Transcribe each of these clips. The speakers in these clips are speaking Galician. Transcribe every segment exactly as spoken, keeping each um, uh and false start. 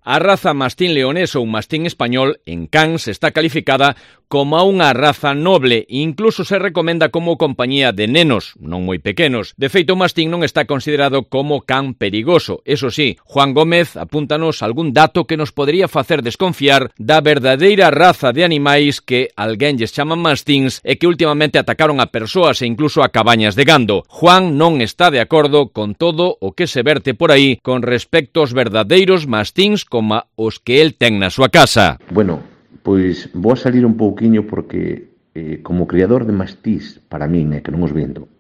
A raza mastín leonés ou mastín español en cans está calificada como unha raza noble e incluso se recomenda como compañía de nenos, non moi pequenos. De feito, o mastín non está considerado como can perigoso. Eso sí, Juan Gómez apúntanos algún dato que nos podería facer desconfiar da verdadeira raza de animais que alguén lles chaman mastíns e que últimamente atacaron a persoas e incluso a cabañas de gando. Juan non está de acordo con todo o que se verte por aí con respecto aos verdadeiros mastíns como os que el ten na súa casa. Bueno, pois vou a salir un pouquiño porque eh, como criador de mastís, para min, é eh, que non os vendo,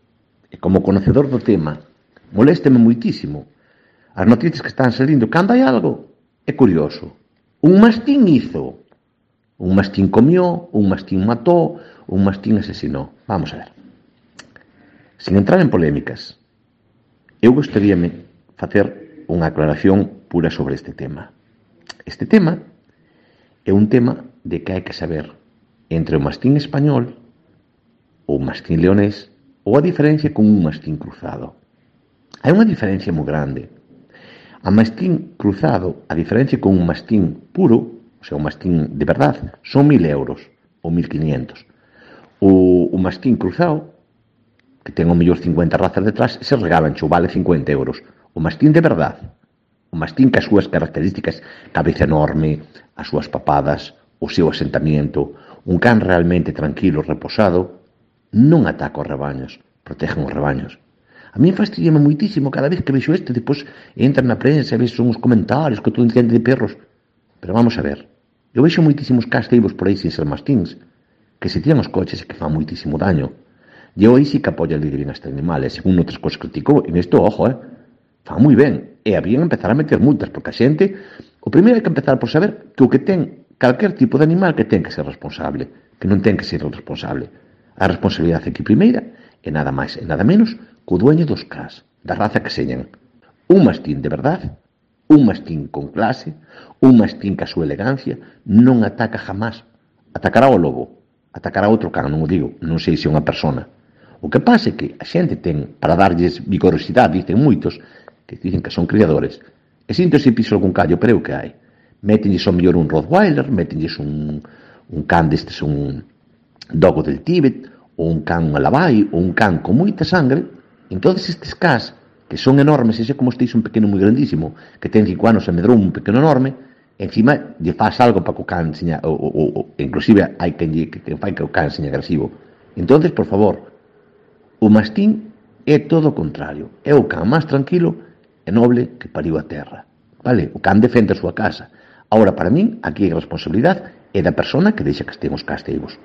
e como conocedor do tema, molésteme moitísimo as noticias que están salindo. Cando hai algo, é curioso. Un mastín hizo, un mastín comió, un mastín matou, un mastín asesinou. Vamos a ver. Sin entrar en polémicas, eu gostaríame facer unha aclaración pura sobre este tema. Este tema é un tema de que hai que saber entre o mastín español ou o mastín leonés ou a diferencia con un mastín cruzado. Hai unha diferencia moi grande. A mastín cruzado, a diferencia con un mastín puro, o sea, un mastín de verdade, son mil euros ou mil quinientos. O, o mastín cruzado, que ten o mellor cincuenta razas detrás, se regalan, xo vale cincuenta euros. O mastín de verdade, o mastín que as súas características, cabeza enorme, as súas papadas, o seu asentamiento, un can realmente tranquilo, reposado, non ataca os rebaños, protegen os rebaños. A mí fastidiame moitísimo cada vez que vexo este, depois entra na prensa e vexo uns comentarios que todo entende de perros. Pero vamos a ver, eu vexo moitísimos casteivos por aí sin ser mastíns, que se tiran os coches e que fan moitísimo daño. E eu aí sí que apoio a lei de ben este animal, e según outras cosas criticou, en isto, ojo, eh, fan moi ben. E habían empezar a meter multas, porque a xente, o primeiro hai que empezar por saber que o que ten calquer tipo de animal que ten que ser responsable, que non ten que ser responsable. A responsabilidade aquí primeira é nada máis e nada menos que o dueño dos cans, da raza que señan. Un mastín de verdade, un mastín con clase, un mastín que a súa elegancia non ataca jamás. Atacará o lobo, atacará outro can, non o digo, non sei se é unha persona. O que pasa é que a xente ten, para darlles vigorosidade, dicen moitos, que dicen que son criadores, e sinto se piso algún callo, pero é o que hai. Métenlles ao mellor un Rottweiler, métenlles un, un can destes, un dogo del Tíbet, ou un can Malabai, ou un can con moita sangre. Entón, estes cans, que son enormes, e sei como estéis un pequeno moi grandísimo, que ten cinco anos e medrou un pequeno enorme, encima lle faz algo para que o can seña, ou, ou, ou inclusive hai quen lle, que, que fai que o can seña agresivo. Entón, por favor, o mastín é todo o contrario. É o can máis tranquilo e noble que pariu a terra. Vale? O can defende a súa casa. Agora, para min, aquí a responsabilidade é da persona que deixa que estén os casteivos.